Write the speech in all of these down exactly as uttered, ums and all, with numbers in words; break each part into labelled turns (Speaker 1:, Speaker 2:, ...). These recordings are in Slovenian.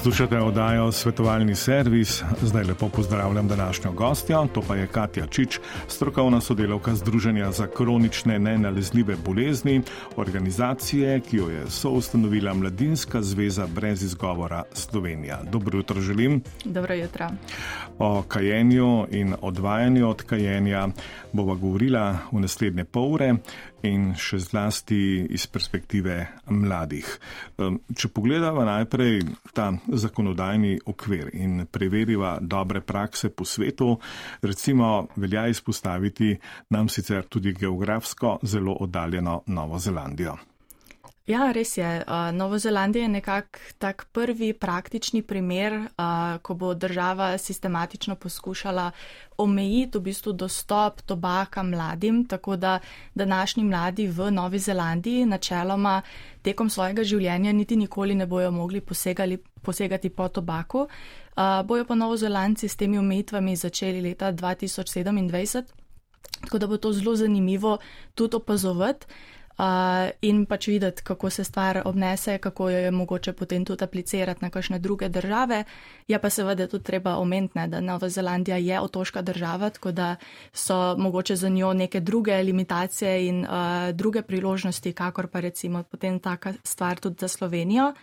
Speaker 1: Poslušate oddajo Svetovalni servis. Zdaj lepo pozdravljam današnjo gostjo, to pa je Katja Čič, strokovna sodelavka Združenja za kronične nenalezljive bolezni, organizacije, ki jo je soustanovila Mladinska zveza brez izgovora Slovenija. Dobro jutro želim.
Speaker 2: Dobro jutro.
Speaker 1: O kajenju in odvajanju od kajenja bova govorila v naslednje pol ure in še zlasti iz perspektive mladih. Če pogledava najprej ta zakonodajni okvir in preveriva dobre prakse po svetu, recimo velja izpostaviti nam sicer tudi geografsko zelo oddaljeno Novo Zelandijo.
Speaker 2: Ja, res je. Novo Zelandija je nekak tak prvi praktični primer, ko bo država sistematično poskušala omejiti v bistvu dostop tobaka mladim, tako da današnji mladi v Novi Zelandiji načeloma tekom svojega življenja niti nikoli ne bojo mogli posegali, posegati po tobaku. Bojo pa Novozelandci s temi omejitvami začeli leta dva tisoč sedemindvajset, tako da bo to zelo zanimivo tudi opazovati. Uh, in pač videti, kako se stvar obnese, kako jo je mogoče potem tudi aplicirati na kakšne druge države. Je pa seveda tudi treba omeniti, da Nova Zelandija je otoška država, tako da so mogoče za njo neke druge limitacije in uh, druge priložnosti, kakor pa recimo potem taka stvar tudi za Slovenijo.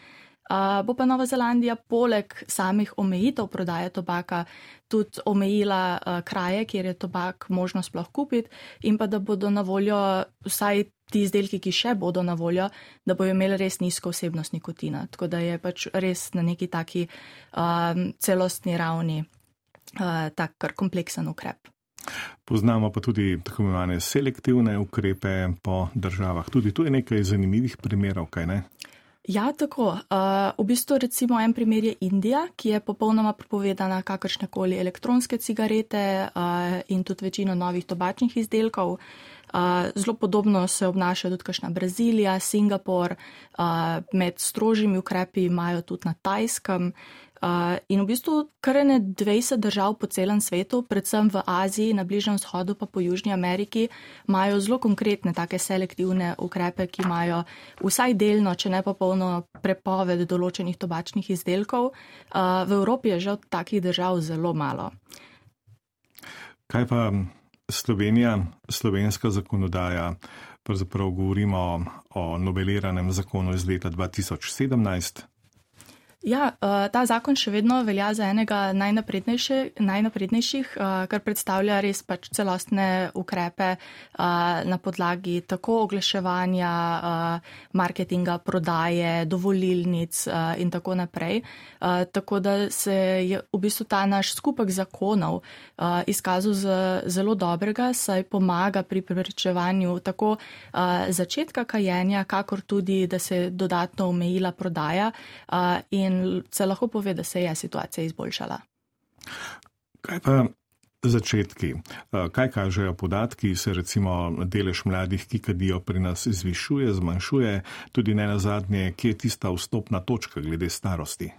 Speaker 2: Uh, bo pa Nova Zelandija poleg samih omejitev prodaje tobaka tudi omejila uh, kraje, kjer je tobak možno sploh kupiti, in pa da bodo na voljo vsaj ti izdelki, ki še bodo na voljo, da bojo imeli res nizko vsebnost nikotina. Tako da je pač res na neki taki um, celostni ravni uh, tak kar kompleksen ukrep.
Speaker 1: Poznamo pa tudi tako imenovane selektivne ukrepe po državah. Tudi tu je nekaj zanimivih primerov, kaj ne?
Speaker 2: Ja, tako. Uh, v bistvu recimo en primer je Indija, ki je popolnoma prepovedana kakršnekoli elektronske cigarete uh, in tudi večino novih tobačnih izdelkov. Uh, zelo podobno se obnaša tudi kakšna Brazilija, Singapur, uh, med strožjimi ukrepi imajo tudi na Tajskem. Uh, in v bistvu kar ene dvajset držav po celem svetu, predvsem v Aziji, na Bližnjem vzhodu pa po Južni Ameriki, imajo zelo konkretne take selektivne ukrepe, ki imajo vsaj delno, če ne pa polno prepoved določenih tobačnih izdelkov. Uh, v Evropi je žal takih držav zelo malo.
Speaker 1: Kaj pa Slovenija, slovenska zakonodaja, pravzaprav govorimo o noveliranem zakonu iz leta dva tisoč sedemnajst.
Speaker 2: Ja, ta zakon še vedno velja za enega najnaprednejših, najnaprednejših, kar predstavlja res pač celostne ukrepe na podlagi tako oglaševanja, marketinga, prodaje, dovolilnic in tako naprej. Tako da se je v bistvu ta naš skupek zakonov izkazal za zelo dobrega, saj pomaga pri preprečevanju tako začetka kajenja, kakor tudi, da se je dodatno omejila prodaja in In se lahko pove, da se je situacija izboljšala.
Speaker 1: Kaj pa začetki? Kaj kažejo podatki? Se recimo delež mladih, ki kadijo, pri nas zvišuje, zmanjšuje? Tudi ne nazadnje, kje je tista vstopna točka glede starosti?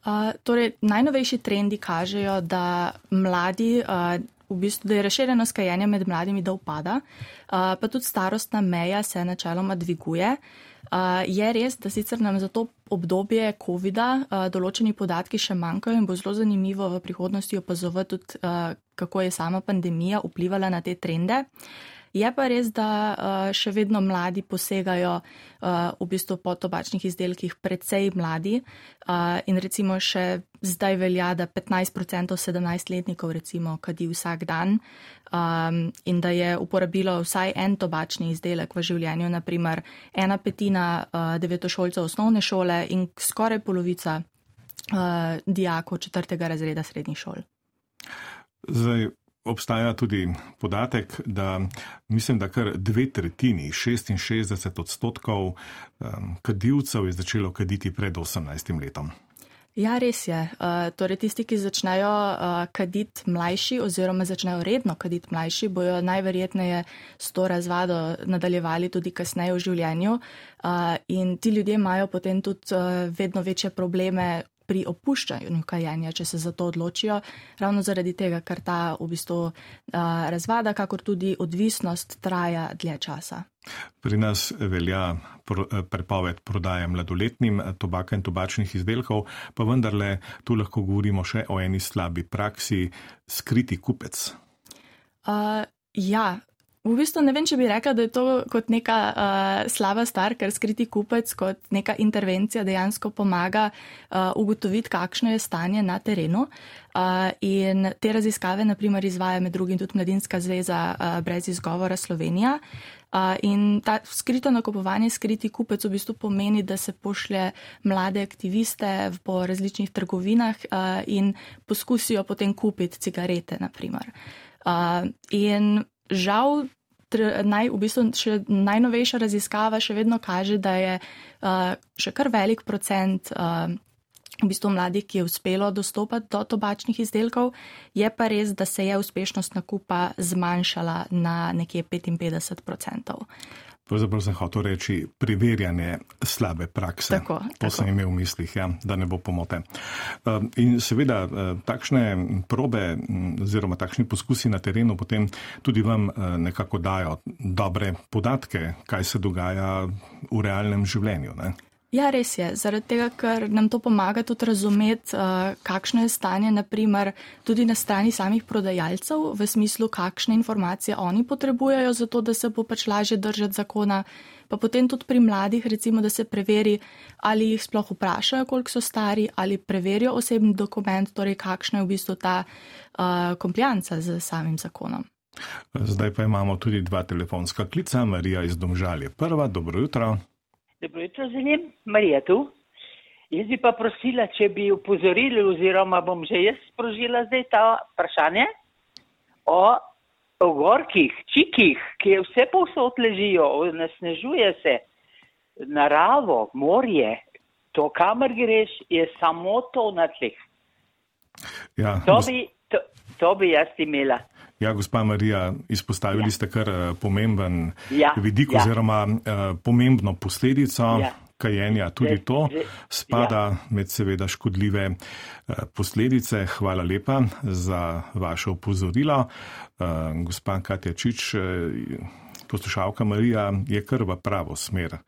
Speaker 2: Uh, torej, najnovejši trendi kažejo, da mladi, uh, v bistvu, da je razširjenost kajenja med mladimi, da upada, uh, pa tudi starostna meja se načeloma dviguje. Uh, je res, da sicer nam za to obdobje covida uh, določeni podatki še manjkajo in bo zelo zanimivo v prihodnosti opazovati tudi, uh, kako je sama pandemija vplivala na te trende. Je pa res, da uh, še vedno mladi posegajo uh, v bistvu po tobačnih izdelkih precej mladi uh, in recimo še zdaj velja, da petnajst procentov sedemnajstletnikov recimo kadi vsak dan um, in da je uporabilo vsaj en tobačni izdelek v življenju, naprimer ena petina uh, devetošolcev osnovne šole in skoraj polovica uh, dijakov četrtega razreda srednjih šol.
Speaker 1: Zdaj, obstaja tudi podatek, da mislim, da kar dve tretjini, šestinšestdeset odstotkov um, kadilcev je začelo kaditi pred osemnajstim letom.
Speaker 2: Ja, res je. Uh, torej tisti, ki začnejo uh, kaditi mlajši oziroma začnejo redno kaditi mlajši, bojo najverjetneje s to razvado nadaljevali tudi kasneje v življenju uh, in ti ljudje imajo potem tudi uh, vedno večje probleme pri opuščanju kajenja, če se za to odločijo, ravno zaradi tega, ker ta v bistvu uh, razvada, kakor tudi odvisnost traja dlje časa.
Speaker 1: Pri nas velja prepoved prodaje mladoletnim tobaka in tobačnih izdelkov, pa vendarle tu lahko govorimo še o eni slabi praksi, skriti kupec.
Speaker 2: Uh, ja, v bistvu ne vem, če bi rekla, da je to kot neka uh, slaba stvar, ker skriti kupec kot neka intervencija dejansko pomaga uh, ugotoviti, kakšno je stanje na terenu. Uh, in te raziskave, naprimer, izvaja med drugim tudi Mladinska zveza uh, brez izgovora Slovenija. Uh, in ta skrito nakupovanje, skriti kupec v bistvu pomeni, da se pošlje mlade aktiviste po različnih trgovinah uh, in poskusijo potem kupiti cigarete, naprimer. Uh, in žal, tr, naj, v bistvu še najnovejša raziskava še vedno kaže, da je uh, še kar velik procent uh, v bistvu mladih, ki je uspelo dostopati do tobačnih izdelkov, je pa res, da se je uspešnost nakupa zmanjšala na nekje petinpetdeset odstotkov.
Speaker 1: Pravzaprav sem hotel reči preverjanje slabe prakse.
Speaker 2: Tako,
Speaker 1: to
Speaker 2: tako.
Speaker 1: sem imel v mislih, ja, da ne bo pomote. In seveda takšne probe oziroma takšni poskusi na terenu potem tudi vam nekako dajo dobre podatke, kaj se dogaja v realnem življenju, ne?
Speaker 2: Ja, res je. Zaradi tega, ker nam to pomaga tudi razumeti, uh, kakšno je stanje, naprimer, tudi na strani samih prodajalcev, v smislu, kakšne informacije oni potrebujejo za to, da se bo pač lažje držati zakona. Pa potem tudi pri mladih, recimo, da se preveri, ali jih sploh vprašajo, koliko so stari, ali preverijo osebni dokument, torej kakšna je v bistvu ta uh, komplijanca z samim zakonom.
Speaker 1: Zdaj pa imamo tudi dva telefonska klica. Marija iz Domžal je prva. Dobro jutro.
Speaker 3: Dobro jutro, želim. Marija tu. Jaz bi pa prosila, če bi upozorili, oziroma bom že jaz sprožila zdaj ta vprašanje o ogorkih, čikih, ki vse povsod ležijo, nasnežuje se, naravo, morje, to, kamor greš, je samo to na tleh.
Speaker 1: Ja,
Speaker 3: to, bi, to, to bi jaz imela.
Speaker 1: Ja, gospa Marija, izpostavili ja. ste kar pomemben
Speaker 3: ja,
Speaker 1: vidik
Speaker 3: ja.
Speaker 1: oziroma uh, pomembno posledico ja. kajenja. Tudi
Speaker 3: že,
Speaker 1: to
Speaker 3: že,
Speaker 1: spada
Speaker 3: ja.
Speaker 1: med seveda škodljive uh, posledice. Hvala lepa za vaše opozorilo. Uh, gospa Katja Čič, uh, poslušalka Marija, je kar v pravo smer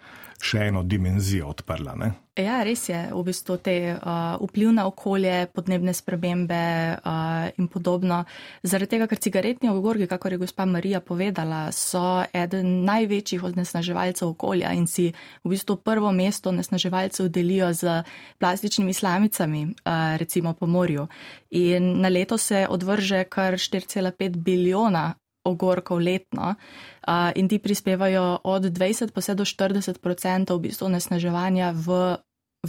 Speaker 1: še eno dimenzijo odprla, ne?
Speaker 2: Ja, res je. V bistvu te uh, vpliv na okolje, podnebne spremembe uh, in podobno. Zaradi tega, ker cigaretni ogorki, kakor je gospa Marija povedala, so eden največjih onesnaževalcev okolja in si v bistvu prvo mesto onesnaževalcev delijo z plastičnimi slamicami, uh, recimo po morju. In na leto se odvrže kar štiri cela pet bilijona ogorkov letno uh, in ti prispevajo od dvajset pa vse do štirideset odstotkov v bistvu onesnaževanja v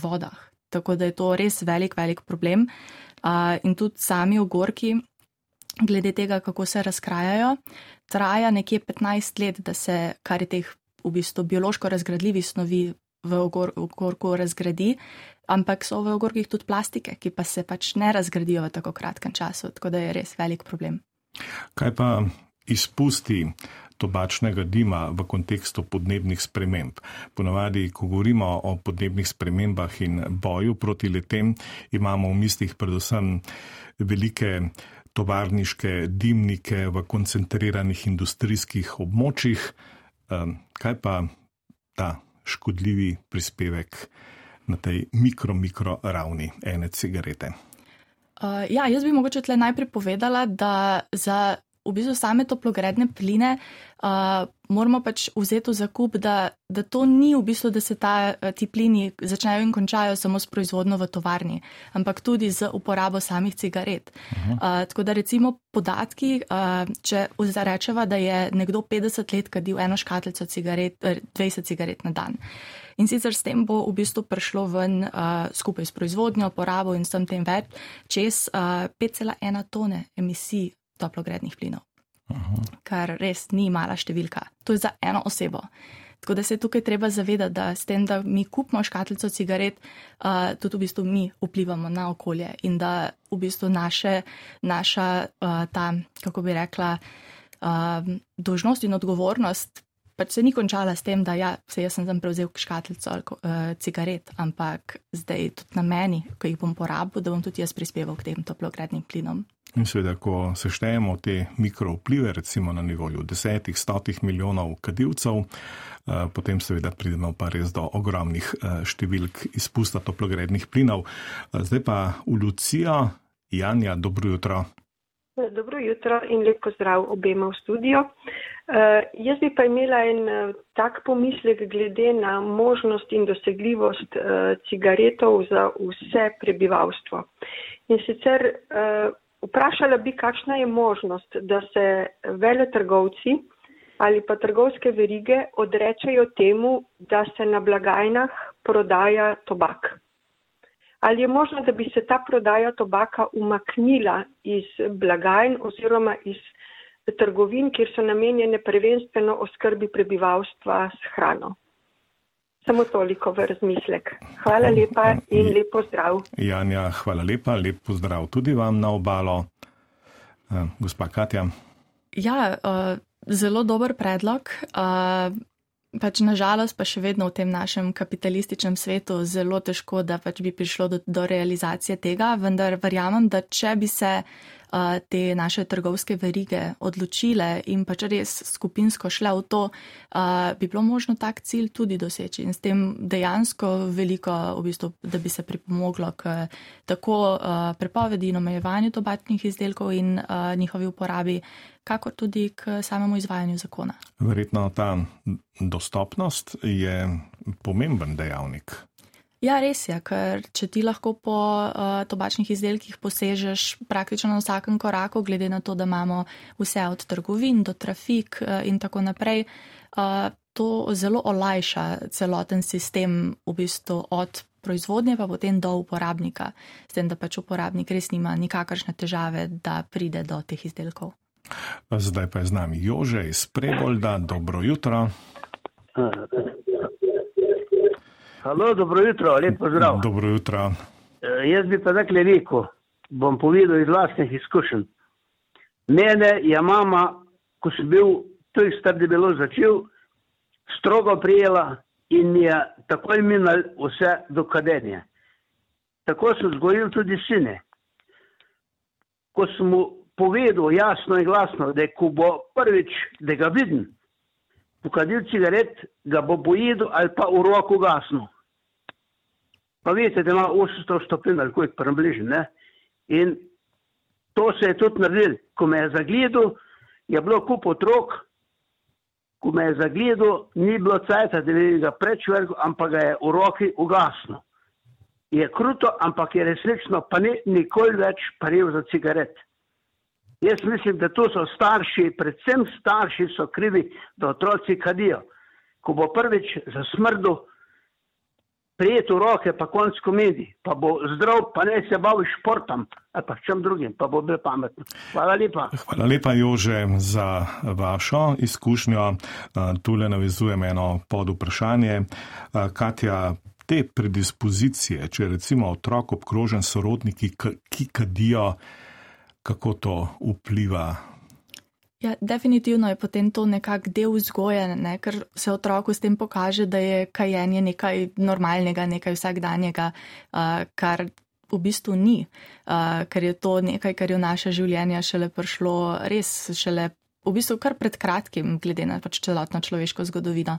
Speaker 2: vodah. Tako da je to res velik, velik problem. Uh, in tudi sami ogorki, glede tega, kako se razkrajajo, traja nekje petnajst let, da se kar je teh v bistvu biološko razgradljivih snovi v ogor, ogorku razgradi, ampak so v ogorkih tudi plastike, ki pa se pač ne razgradijo v tako kratkem času, tako da je res velik problem.
Speaker 1: Kaj pa izpusti tobačnega dima v kontekstu podnebnih sprememb? Ponavadi, ko govorimo o podnebnih spremembah in boju proti letem, imamo v mislih predvsem velike tovarniške dimnike v koncentriranih industrijskih območjih. Kaj pa ta škodljivi prispevek na tej mikro-mikro ravni ene cigarete?
Speaker 2: Uh, ja, jaz bi mogoče tle najprej povedala, da za v bistvu same toplogredne pline uh, moramo pač vzeti v zakup, da, da to ni v bistvu, da se ta, ti plini začnejo in končajo samo s proizvodnjo v tovarni, ampak tudi z uporabo samih cigaret. Uh-huh. Uh, tako da recimo podatki, uh, če rečeva, da je nekdo petdeset let kadil eno škatlico cigaret, dvajset cigaret na dan. In sicer s tem bo v bistvu prišlo ven uh, skupaj s proizvodnjo, porabo in s tem več čez uh, pet cela ena tone emisij toplogrednih plinov. Aha. Kar res ni mala številka. To je za eno osebo. Tako da se tukaj treba zavedati, da s tem, da mi kupimo škatlico cigaret, uh, tudi v bistvu mi vplivamo na okolje in da v bistvu naše, naša uh, ta, kako bi rekla, uh, dolžnost in odgovornost pač se ni končala s tem, da ja, se jaz sem tam prevzel škatlico uh, cigaret, ampak zdaj tudi na meni, ko jih bom porabil, da bom tudi jaz prispeval k tem toplogrednim plinom.
Speaker 1: In seveda, ko seštejemo te mikrovplive, recimo na nivoju desetih, stotih milijonov kadilcev, uh, potem seveda pridemo pa res do ogromnih uh, številk izpusta toplogrednih plinov. Uh, zdaj pa v Lucijo. Janja, dobro jutro.
Speaker 4: Dobro jutro in lep pozdrav obema v studio. Uh, jaz bi pa imela en uh, tak pomislek glede na možnost in dosegljivost uh, cigaretov za vse prebivalstvo. In sicer uh, vprašala bi, kakšna je možnost, da se veletrgovci ali pa trgovske verige odrečajo temu, da se na blagajnah prodaja tobak. Ali je možno, da bi se ta prodaja tobaka umaknila iz blagajn oziroma iz trgovin, kjer so namenjene prvenstveno oskrbi prebivalstva s hrano? Samo toliko v razmislek. Hvala lepa in lep pozdrav.
Speaker 1: Janja, hvala lepa, lep pozdrav tudi vam na obalo. Gospa Katja.
Speaker 2: Ja, uh, zelo dober predlog. Uh, Pač nažalost pa še vedno v tem našem kapitalističnem svetu zelo težko, da pač bi prišlo do, do realizacije tega, vendar verjamem, da če bi se uh, te naše trgovske verige odločile in pač res skupinsko šle v to, uh, bi bilo možno tak cilj tudi doseči in s tem dejansko veliko, v bistvu, da bi se pripomoglo k tako uh, prepovedi in omejevanju tobačnih izdelkov in uh, njihovi uporabi, kakor tudi k samemu izvajanju zakona.
Speaker 1: Verjetno ta dostopnost je pomemben dejavnik.
Speaker 2: Ja, res je, ker če ti lahko po uh, tobačnih izdelkih posežeš praktično na vsakem koraku, glede na to, da imamo vse od trgovin do trafik uh, in tako naprej, uh, to zelo olajša celoten sistem v bistvu od proizvodnje pa potem do uporabnika, s tem, da pač uporabnik res nima nikakršne težave, da pride do teh izdelkov.
Speaker 1: Zdaj pa je z nami Jože iz Prebolda. Dobro jutro.
Speaker 5: Halo, dobro jutro, lep pozdrav.
Speaker 1: Dobro jutro.
Speaker 5: E, jaz bi pa takle rekel, bom povedal iz vlastnih izkušenj. Mene je mama, ko sem bil tudi star debelo začel, strogo prijela in mi je takoj minal vse do kadenja. Tako sem vzgojil tudi sine. Ko sem mu povedal jasno in glasno, da ko bo prvič, da ga vidim, pokadil cigaret, ga bo pojedel ali pa v roko gasno. Pa veste, da ima osemsto stopinj ali koliko približno, ne? In to se je tudi naredil. Ko me je zagledal, je bilo kup otrok, ko me je zagledal, ni bilo cajta, da bi ga prečvergal, ampak ga je v roki ugasno. Je kruto, ampak je resnično, pa ni nikoli več paril za cigaret. Jaz mislim, da to so starši, predvsem starši so krivi, da otroci kadijo. Ko bo prvič zasmrdu, prijet v roke, pa konc komedij, pa bo zdrav, pa ne se bavi športom, ali pa čem drugim, pa bo bil pametno. Hvala lepa.
Speaker 1: Hvala lepa, Jože, za vašo izkušnjo. Tule navezujem eno pod vprašanje. Katja, te predispozicije, če recimo otrok obkrožen sorodniki, ki kadijo, kako to vpliva?
Speaker 2: Ja, definitivno je potem to nekak del vzgoje, ne? Ker se otroku s tem pokaže, da je kajenje nekaj normalnega, nekaj vsakdanjega, uh, kar v bistvu ni, uh, ker je to nekaj, kar je v naše življenje šele prišlo res šele v bistvu kar pred kratkim, glede na pač celotno človeško zgodovino.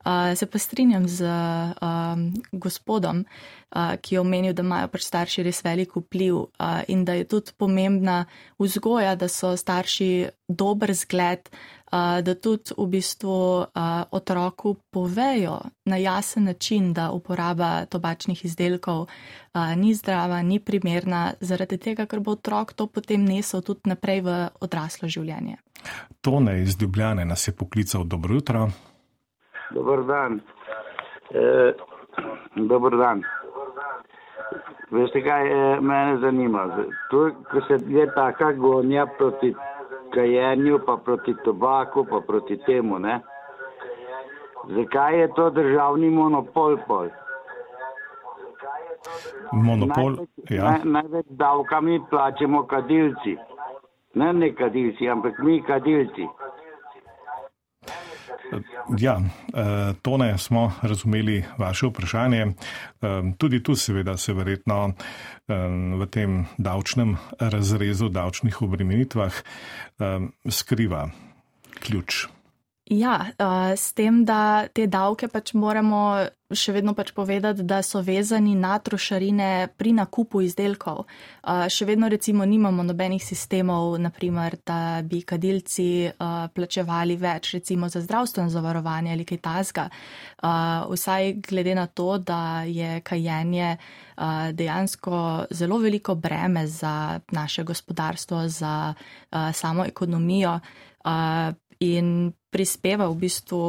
Speaker 2: Uh, se pa strinjam z uh, gospodom, uh, ki je omenil, da imajo pač starši res velik vpliv uh, in da je tudi pomembna vzgoja, da so starši dober zgled, uh, da tudi v bistvu uh, otroku povejo na jasen način, da uporaba tobačnih izdelkov uh, ni zdrava, ni primerna, zaradi tega, ker bo otrok to potem nesel tudi naprej v odraslo življenje.
Speaker 1: Tone iz Ljubljane nas je poklical. Dobro jutro.
Speaker 6: Dobar dan. E, dobar dan. Veste kaj, e, mene zanima. To, ko se je taka gonja proti kajenju, pa proti tobaku, pa proti temu, ne? Zakaj je to državni monopol pol?
Speaker 1: Monopol,
Speaker 6: največ,
Speaker 1: ja.
Speaker 6: Naj, največ davkami plačemo kadilci. Ne ne kadilci, ampak mi kadilci.
Speaker 1: Ja, Tone, smo razumeli vaše vprašanje. Tudi tu seveda se verjetno v tem davčnem razrezu, davčnih obremenitvah skriva ključ.
Speaker 2: Ja, s tem, da te davke pač moramo še vedno pač povedati, da so vezani na trošarine pri nakupu izdelkov. Še vedno recimo nimamo nobenih sistemov, naprimer, da bi kadilci plačevali več recimo za zdravstveno zavarovanje ali kaj takega. Vsaj glede na to, da je kajenje dejansko zelo veliko breme za naše gospodarstvo, za samo ekonomijo in prispeva v bistvu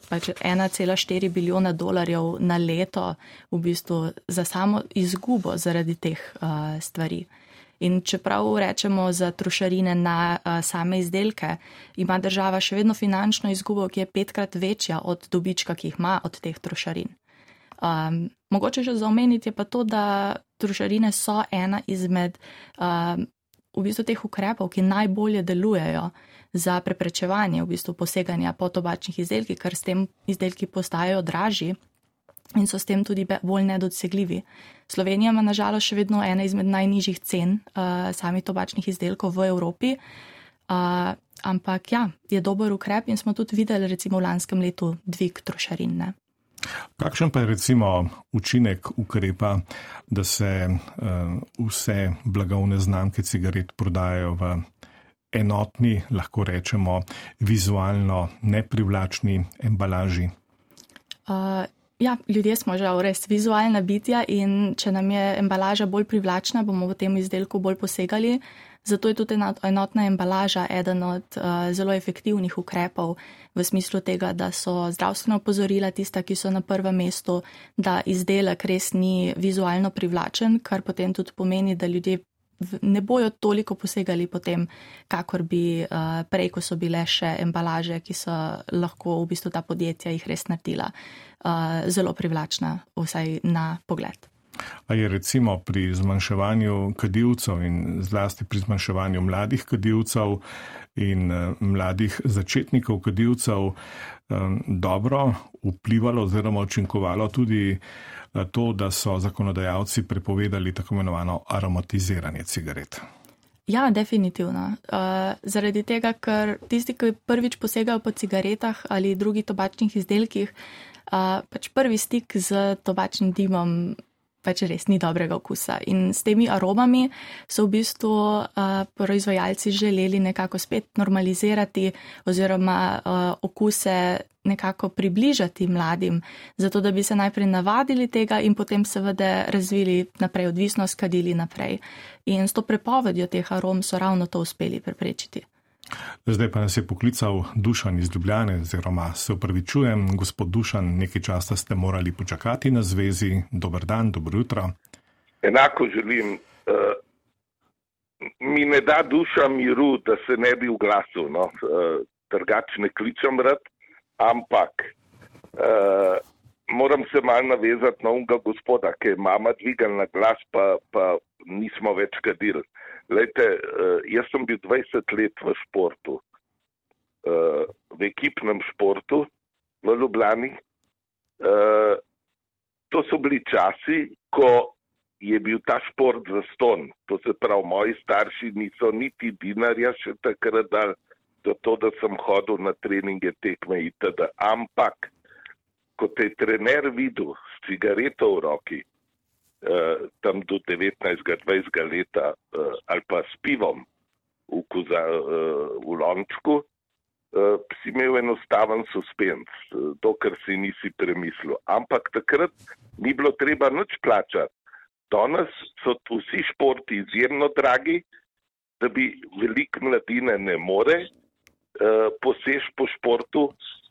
Speaker 2: pač ena cela štiri bilijona dolarjev na leto v bistvu za samo izgubo zaradi teh uh, stvari. In čeprav rečemo za trošarine na uh, same izdelke, ima država še vedno finančno izgubo, ki je petkrat večja od dobička, ki jih ima od teh trošarin. Um, mogoče še za omeniti je pa to, da trošarine so ena izmed uh, v bistvu teh ukrepov, ki najbolje delujejo za preprečevanje v bistvu poseganja po tobačnih izdelkih, ker s tem izdelki postajajo dražji in so s tem tudi bolj nedosegljivi. Slovenija ima nažalost še vedno ena izmed najnižjih cen uh, samih tobačnih izdelkov v Evropi, uh, ampak ja, je dober ukrep in smo tudi videli recimo v lanskem letu dvig trošarin. Ne?
Speaker 1: Kakšen pa je recimo učinek ukrepa, da se uh, vse blagovne znamke cigaret prodajajo v enotni, lahko rečemo, vizualno neprivlačni embalaži?
Speaker 2: Uh, ja, ljudje smo žal res vizualna bitja in če nam je embalaža bolj privlačna, bomo v tem izdelku bolj posegali. Zato je tudi enotna embalaža eden od uh, zelo efektivnih ukrepov v smislu tega, da so zdravstvena opozorila tista, ki so na prvem mestu, da izdelek res ni vizualno privlačen, kar potem tudi pomeni, da ljudje ne bojo toliko posegali potem, kakor bi uh, prej, ko so bile še embalaže, ki so lahko v bistvu ta podjetja jih res naredila uh, zelo privlačna, vsaj na pogled.
Speaker 1: A je recimo pri zmanjševanju kadilcev in zlasti pri zmanjševanju mladih kadilcev in uh, mladih začetnikov kadilcev um, dobro vplivalo oziroma učinkovalo tudi to, da so zakonodajalci prepovedali tako imenovano aromatiziranje cigaret?
Speaker 2: Ja, definitivno. Uh, zaradi tega, ker tisti, ki prvič posegajo po cigaretah ali drugih tobačnih izdelkih, uh, pač prvi stik z tobačnim dimom pač res ni dobrega okusa. In s temi aromami so v bistvu uh, proizvajalci želeli nekako spet normalizirati oziroma uh, okuse nekako približati mladim, zato da bi se najprej navadili tega in potem seveda razvili naprej odvisnost, kadili naprej. In s to prepovedjo teh arom so ravno to uspeli preprečiti.
Speaker 1: Zdaj pa nas je poklical Dušan iz Ljubljane, oziroma se opravičujem, gospod Dušan, nekaj časa ste morali počakati na zvezi. Dober dan, dobro jutro.
Speaker 7: Enako želim. Uh, mi ne da duša miru, da se ne bi uglasil, no? uh, drugače ne kličem rad, ampak uh, moram se malo navezati na unga gospoda, ki je mama dvigal na glas, pa, pa nismo več kadili. Lejte, jaz sem bil dvajset let v športu, v ekipnem športu v Ljubljani. To so bili časi, ko je bil ta šport zastonj. To se pravi, moji starši niso niti dinarja še takrat dali za to, da sem hodil na treninge, tekme itd. Ampak, ko te je trener videl s cigareto v roki, Uh, tam do devetnajstega, dvajsetega leta uh, ali pa s pivom v, kuza, uh, v lončku, uh, si imel enostaven suspens, uh, dokler si nisi premislil. Ampak takrat ni bilo treba nič plačati. Danes so vsi športi izjemno dragi, da bi veliko mladine ne more uh, posež po športu,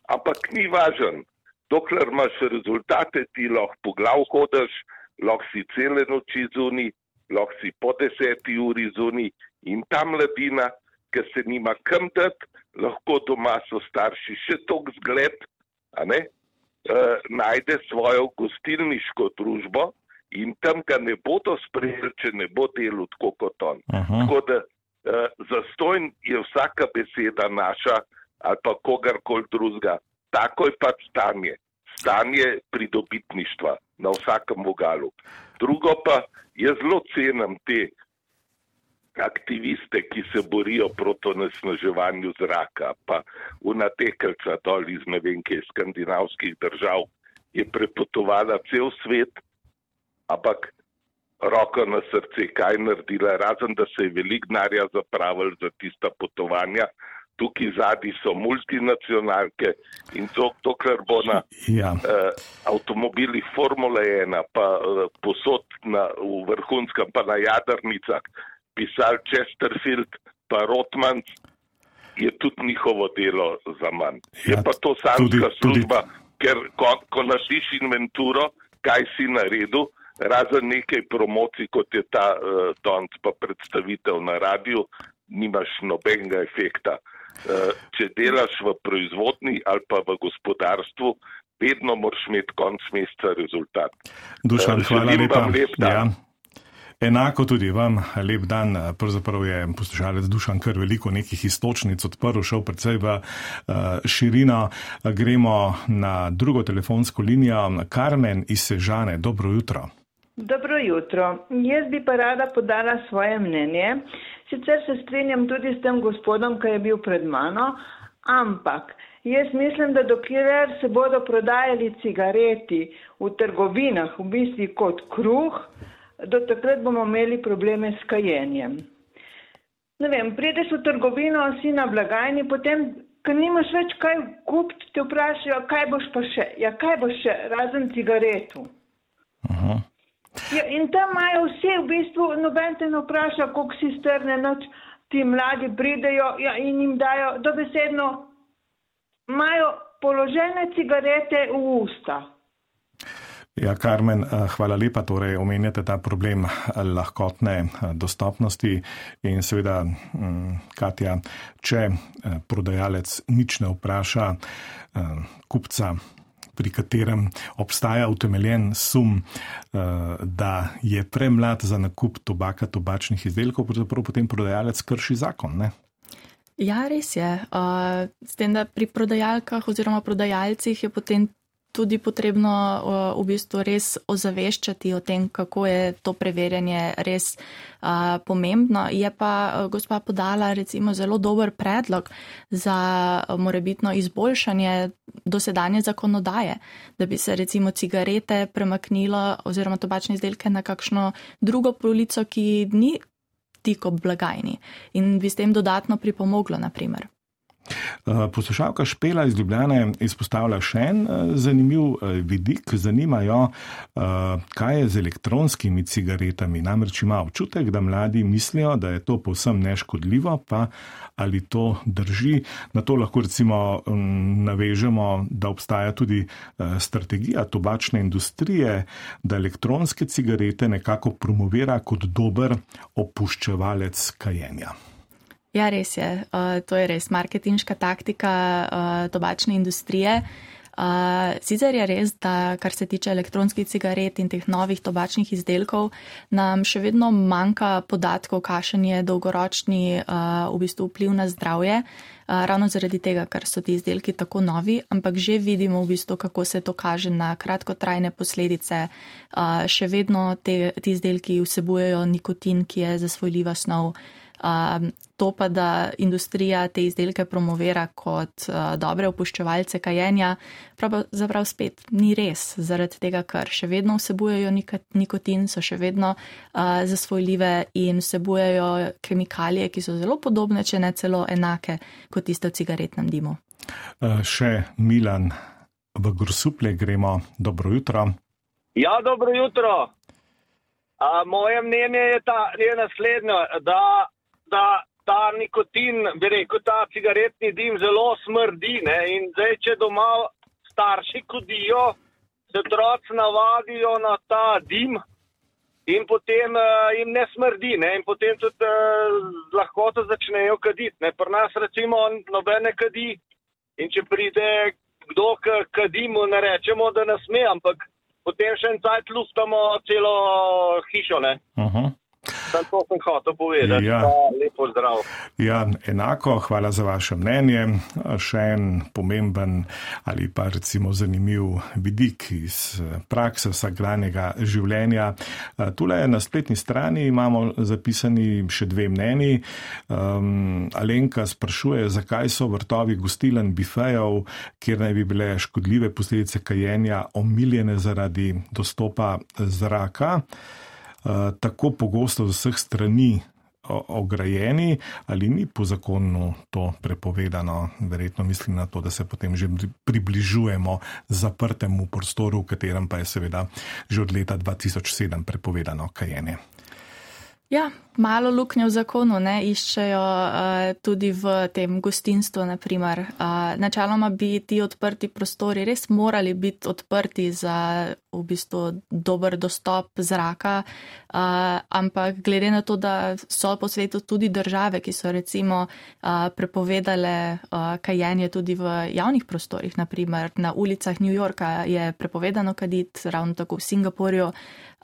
Speaker 7: ampak ni važen. Dokler imaš rezultate, ti lahko po glav hodaš, lahko si cele noči zunaj, lahko si po deseti uri zunaj in ta mladina, ki se nima kam dati, lahko doma so starši še tok zgled, a ne, e, najde svojo gostilniško družbo in tam ga ne bodo sprejeli, če ne bo delal tako kot on. Aha. Tako da e, zastojn je vsaka beseda naša ali pa kogarkoli drugega, Tako je pač stanje. Stanje pridobitništva na vsakem vogalu. Drugo pa, jaz zelo cenim te aktiviste, ki se borijo proti onesnaževanju zraka, pa unatekelca dol iz ne vem kje skandinavskih držav je prepotovala cel svet, ampak roko na srce, kaj naredila, razen da se je veliko denarja zapravili za tista potovanja. Tukaj zadnji so multinacionalke in to, dokler bo na ja. uh, avtomobilih Formule ena, pa uh, posod na, v vrhunskem, pa na jadrnicah, pisal Chesterfield, pa Rothmans, je tudi njihovo delo za manj. Ja, je pa to samska tudi, služba, tudi... ker ko, ko narediš inventuro, kaj si naredil, razen nekaj promocij, kot je ta uh, danes pa predstavitev na radiju, nimaš nobenega efekta. Če delaš v proizvodni ali pa v gospodarstvu, vedno moraš imeti konc meseca rezultat.
Speaker 1: Dušan, hvala lepa.
Speaker 7: Lep
Speaker 1: ja. Enako tudi vam, lep dan. Pravzaprav je poslušalec Dušan kar veliko nekih istočnic odprl, šel predvsej v uh, širino. Gremo na drugo telefonsko linijo. Karmen iz Sežane, dobro jutro.
Speaker 8: Dobro jutro. Jaz bi pa rada podala svoje mnenje. Sicer se strinjam tudi s tem gospodom, ki je bil pred mano, ampak jaz mislim, da dokler se bodo prodajali cigareti v trgovinah v bistvu kot kruh, do takrat bomo imeli probleme s kajenjem. Ne vem, prideš v trgovino, si na blagajni, potem, ko nimaš več kaj kupiti, te vprašajo, kaj boš pa še, ja kaj boš še, razen cigaretu.
Speaker 1: Aha.
Speaker 8: Ja, in tam imajo vse v bistvu, noben te ne vpraša, koliko si strne, noč ti mladi pridejo ja, in jim dajo, dobesedno imajo položene cigarete v usta.
Speaker 1: Ja, Karmen, hvala lepa, torej omenjate ta problem lahkotne dostopnosti in seveda, Katja, če prodajalec nič ne vpraša kupca, pri katerem obstaja utemeljen sum, da je premlad za nakup tobaka, tobačnih izdelkov, pravzaprav potem prodajalec krši zakon, ne?
Speaker 2: Ja, res je. S tem, da pri prodajalkah oziroma prodajalcih je potem tudi potrebno v bistvu res ozaveščati o tem, kako je to preverjanje res a, pomembno. Je pa gospa podala recimo zelo dober predlog za morebitno izboljšanje dosedanje zakonodaje, da bi se recimo cigarete premaknilo oziroma tobačne izdelke na kakšno drugo polico, ki ni tik ob blagajni in bi s tem dodatno pripomoglo, na primer.
Speaker 1: Poslušalka Špela iz Ljubljane izpostavlja še en zanimiv vidik. Zanimajo, kaj je z elektronskimi cigaretami. Namreč ima občutek, da mladi mislijo, da je to povsem neškodljivo, pa ali to drži. Na to lahko recimo navežemo, da obstaja tudi strategija tobačne industrije, da elektronske cigarete nekako promovira kot dober opuščevalec kajenja.
Speaker 2: Ja, res je. Uh, to je res marketinška taktika uh, tobačne industrije. Uh, sicer je res, da kar se tiče elektronskih cigaret in teh novih tobačnih izdelkov, nam še vedno manjka podatkov, kakšen je dolgoročni uh, v bistvu vpliv na zdravje, uh, ravno zaradi tega, ker so ti izdelki tako novi, ampak že vidimo v bistvu, kako se to kaže na kratkotrajne posledice. Uh, še vedno te, ti izdelki vsebujejo nikotin, ki je zasvojljiva snov. Uh, to pa, da industrija te izdelke promovira kot uh, dobre opuščevalce kajenja, pravzaprav spet ni res, zaradi tega, ker še vedno vsebujejo nikotin, so še vedno uh, zasvojljive in vsebujejo kemikalije, ki so zelo podobne, če ne celo enake kot tiste v cigaretnem dimu.
Speaker 1: Uh, še Milan v Grosuplje gremo. Dobro jutro.
Speaker 9: Ja, dobro jutro. Uh, moje mnenje je, ta, je naslednjo, da da ta nikotin, bi rekel, ta cigaretni dim zelo smrdi, ne, in zdaj, če doma starši kodijo, se otroci navadijo na ta dim in potem uh, jim ne smrdi, ne, in potem tudi uh, z lahkoto začnejo kaditi, ne, pri nas recimo nobene kadi in če pride kdo k kadimu, ne rečemo, da ne sme, ampak potem še en cajt luftamo celo hišo, ne.
Speaker 1: Uh-huh.
Speaker 9: Sam to sem hotel povedati,
Speaker 1: Ja.
Speaker 9: pa lepo zdrav.
Speaker 1: Ja, enako, hvala za vaše mnenje. Še en pomemben ali pa recimo zanimiv vidik iz prakse vsakdanjega življenja. Tule na spletni strani imamo zapisani še dve mnenji. Um, Alenka sprašuje, zakaj so vrtovi gostilen bifejev, kjer naj bi bile škodljive posledice kajenja omiljene zaradi dostopa zraka, uh, tako pogosto z vseh strani ograjeni, ali ni po zakonu to prepovedano? Verjetno mislim na to, da se potem že približujemo zaprtemu prostoru, v katerem pa je seveda že od leta dva tisoč sedem prepovedano kajenje.
Speaker 2: Ja, malo luknje v zakonu ne, iščejo uh, tudi v tem gostinstvu, naprimer. Uh, načeloma bi ti odprti prostori res morali biti odprti za v bistvu dober dostop zraka, uh, ampak glede na to, da so po svetu tudi države, ki so recimo uh, prepovedale uh, kajenje tudi v javnih prostorih, naprimer na ulicah New Yorka je prepovedano kaditi, ravno tako v Singapurju,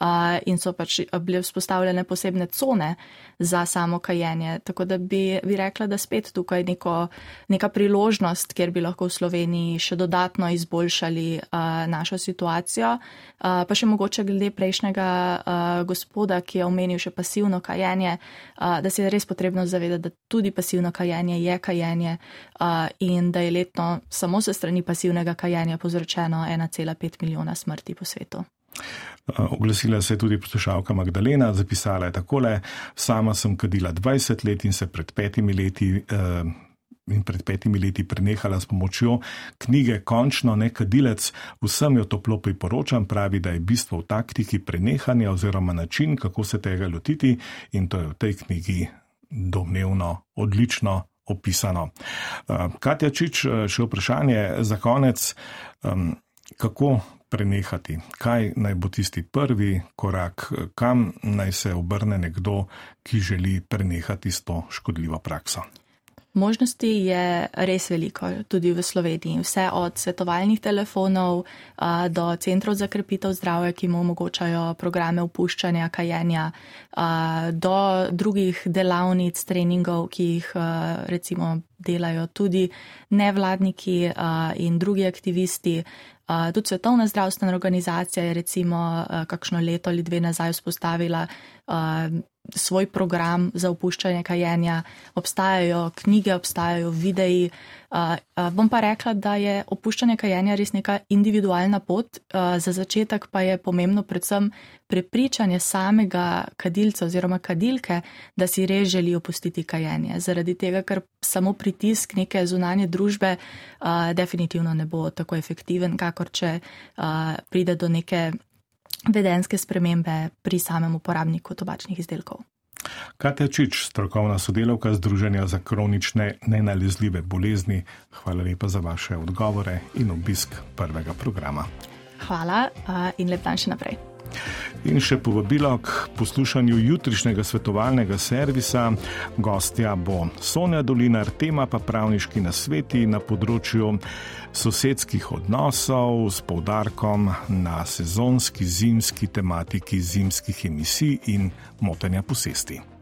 Speaker 2: Uh, in so pač bile vzpostavljene posebne cone za samo kajenje. Tako da bi, bi rekla, da spet tukaj neko, neka priložnost, kjer bi lahko v Sloveniji še dodatno izboljšali uh, našo situacijo. Uh, pa še mogoče glede prejšnjega uh, gospoda, ki je omenil še pasivno kajenje, uh, da se je res potrebno zavedati, da tudi pasivno kajenje je kajenje uh, in da je letno samo se strani pasivnega kajenja povzročeno ena cela pet milijona smrti po svetu.
Speaker 1: Oglasila se je tudi poslušalka Magdalena, zapisala je takole: sama sem kadila dvajset let in se pred petimi leti, eh, in pred petimi leti prenehala s pomočjo knjige Končno ne kadilec. Vsem jo toplo priporočam, pravi, da je bistvo v taktiki prenehanja oziroma način, kako se tega lotiti, in to je v tej knjigi domnevno odlično opisano. Katja Čič, še vprašanje za konec. Kako prenehati? Kaj naj bo tisti prvi korak? Kam naj se obrne nekdo, ki želi prenehati s to škodljivo prakso?
Speaker 2: Možnosti je res veliko, tudi v Sloveniji. Vse od svetovalnih telefonov a, do centrov za krepitev zdravja, ki mu omogočajo programe opuščanja, kajenja, a, do drugih delavnic, treningov, ki jih a, recimo delajo tudi nevladniki a, in drugi aktivisti. A, tudi Svetovna zdravstvena organizacija je recimo a, kakšno leto ali dve nazaj vzpostavila a, svoj program za opuščanje kajenja, obstajajo knjige, obstajajo videi. Uh, uh, bom pa rekla, da je opuščanje kajenja res neka individualna pot, uh, za začetek pa je pomembno predvsem prepričanje samega kadilca oziroma kadilke, da si res želi opustiti kajenje. Zaradi tega, ker samo pritisk neke zunanje družbe uh, definitivno ne bo tako efektiven, kakor če uh, pride do neke vedenske spremembe pri samem uporabniku tobačnih izdelkov.
Speaker 1: Katja Čič, strokovna sodelavka Združenja za kronične nenalezljive bolezni, hvala lepa za vaše odgovore in obisk prvega programa.
Speaker 2: Hvala in lep dan še naprej.
Speaker 1: In še povabilo k poslušanju jutrišnjega svetovalnega servisa. Gostja bo Sonja Dolinar, tema pa pravniški nasveti na področju sosedskih odnosov s poudarkom na sezonski zimski tematiki zimskih emisij in motenja posesti.